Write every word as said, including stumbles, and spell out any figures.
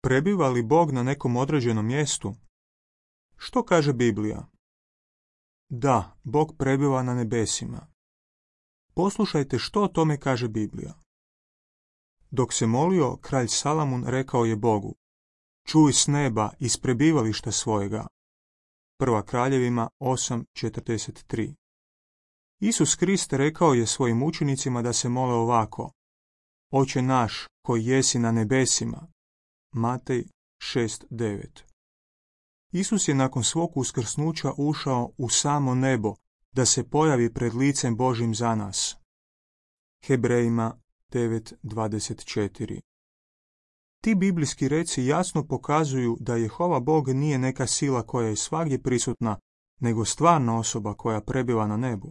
Prebiva li Bog na nekom određenom mjestu? Što kaže Biblija? Da, Bog prebiva na nebesima. Poslušajte što o tome kaže Biblija. Dok se molio, kralj Salamun rekao je Bogu: Čuj s neba iz prebivališta svojega. Prva Kraljevima osam četrdeset tri. Isus Krist rekao je svojim učenicima da se mole ovako: Oče naš koji jesi na nebesima. Matej šest devet. Isus je nakon svog uskrsnuća ušao u samo nebo da se pojavi pred licem Božjim za nas. Hebrejima devet dvadeset četiri. Ti biblijski reci jasno pokazuju da Jehova Bog nije neka sila koja je svagdje prisutna, nego stvarna osoba koja prebiva na nebu.